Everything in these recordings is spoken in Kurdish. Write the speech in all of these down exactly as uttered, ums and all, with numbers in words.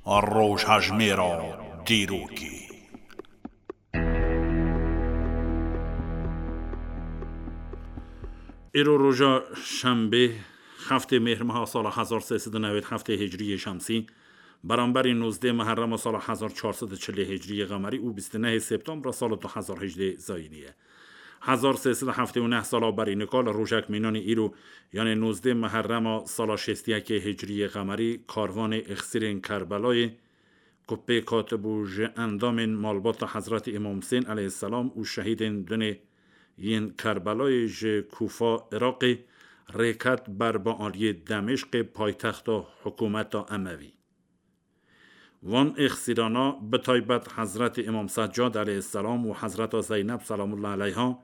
Rojhejmêra dîrokê. Îro roja şembê, heftê mêhrmeha sala hezar sê sed û newêd heftê hicriyê şemsî, beramberî nozdê meherrema sala hezar çar sed û çilê hicriyê qemerî û bîst û nehê septembra sala du hezar hejdê zayînî ye. Hezar sê sed û heftê û neh sala berî nika li rojek mînanî îro, yanê nozdê meherrema sala şêst û yekê hicriyê qemerî, karvanê îxsîrên Kerbelayê, ku pêk hatibû ji endamên malbata Hezretî Îmam Husên aleyhisselam û şehîdên dunê yên Kerbelayê ji Kûfa Iraqê, rêket ber bi aliyê Demêşqê, paytexta hikûmeta Emevî. Van êxsîrana, bi taybet Hezretî Îmam Seccad aleyhisselam û Hezreta Zeyneb selamullah aleyha,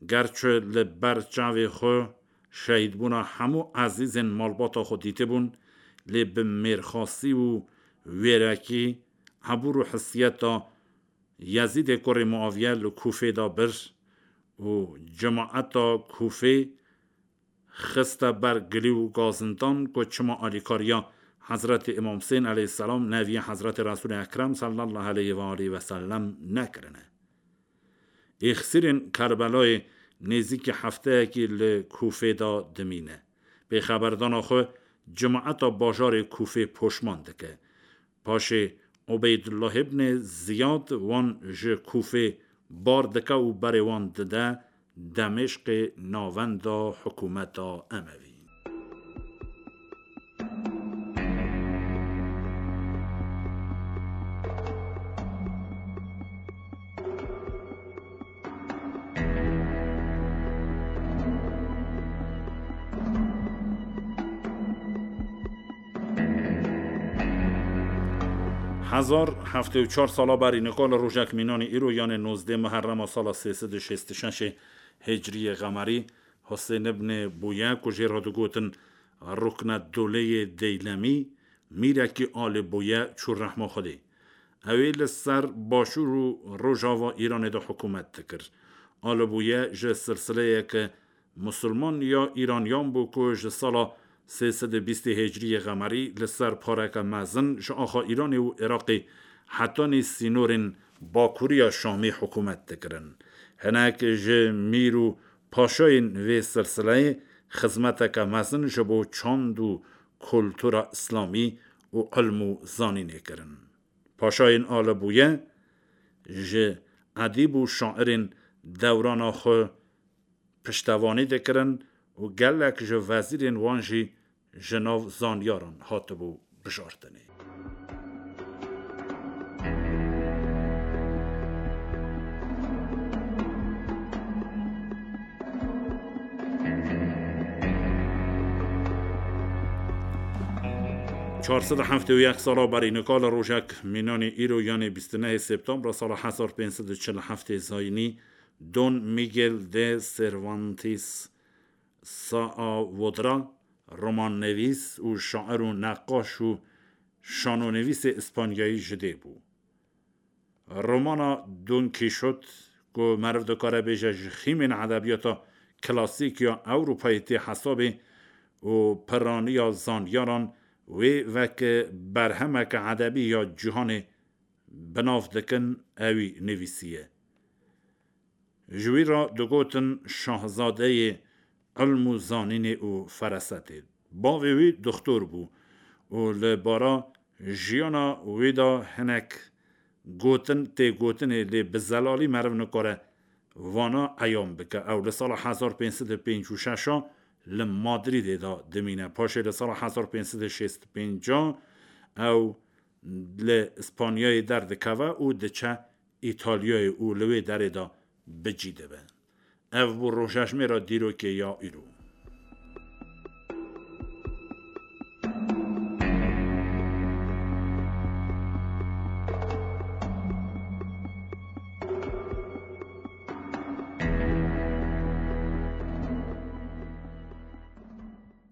gerçi li ber çavê xwe şehîdbûna hemû ezîzên malbata xwe dîtibûn, lê bi mêrxasî û wêrekî, hebûr û hissiyeta Yezîdê kurê Muaviye li Kûfê de bir û cemaeta Kûfê xiste ber gilî û gazindan ku çima alîkariya Hezretî Îmam Husên aleyhisselam, neviyê Hezretî Resûlê Ekrem sallallahu aleyhi ve aleyhi ve sellem nekirine. Êxsîrên Kerbelayê nêzîkî hefteyekî li Kûfê de dimîne. Pêxeberdana xwe cemaeta bajarê Kûfê poşman dike. Paşê Ubeydullah ibnê Ziyad wan ji Kûfê bar dike û berê wan dide Demêşqê navenda hikûmeta Emevî. Hezar heftê û çar sala berî nika li rojek mînanî îro, yanê nozdê meherrema sala sê sed û şêst û şeş hicriyê qemerî, Husên ibnê Bûye, ku jê re digotin Ruknedoleyê Deylemî, mîrekî alê Bûye çû rehma Xwedê. Ew ê li ser başûr û rojava Îranê de hikûmet dikir. Alê Bûye ji silsileyeke Musulman ya Îraniyan bû ku ji sala sê sed û bîstê hicriyê qemerî li ser pareke mezin ji axa Îranê û Iraqê hetanî sînorên bakuriya Şamê hikûmet dikirin. Hinek ji mîr û paşayên vê silsileyê xizmeteke mezin ji bo çand û kultura îslamî û ilm û zanînê kirin. Paşayên Alibûye ji edîb û şairên dewrana xwe piştevanî dikirin û gelek ji vezîrên wan jî ji nav zanyaran hatibû bijartinê. Çar sed û heftê û yek sala berî nika li rojek mînanê îro, yanê bîst û nehê septembra sala hezar pênc sed û çil û heftê zayînî, Don Miguel de Cervantes Saavedra, romannivîs û şair û neqaş û şanonivîsê îspanyayî ji dê bû. Romana Don Kîşot, ku meriv dikare bêje ji xîmên edebiyata klasîk ya Ewropayê tê hesabê û piraniya zanyaran wê weke berhemeke edebî ya cîhanê bi nav dikin, ewî nivîsiye. Ji wî re digotin şahzadeyê ilm û zanînê û ferasetê. Bavê wî doxtor bû û li bara jiyana wî de hinek gotin tê gotinê, lê bi zelalî meriv nikare vana eyan bike. Ew li sala hezar pênc sed û pêncî û şeş a li Madrîdê de dimîne. Paşê li sala hezar pênc sed û şêst û pênc a ew li Îspanyayê derdikeve û diçe Îtalyayê û li wê derê de bi cî dibe. Ev bû rojejmêra dîrokê ya îro.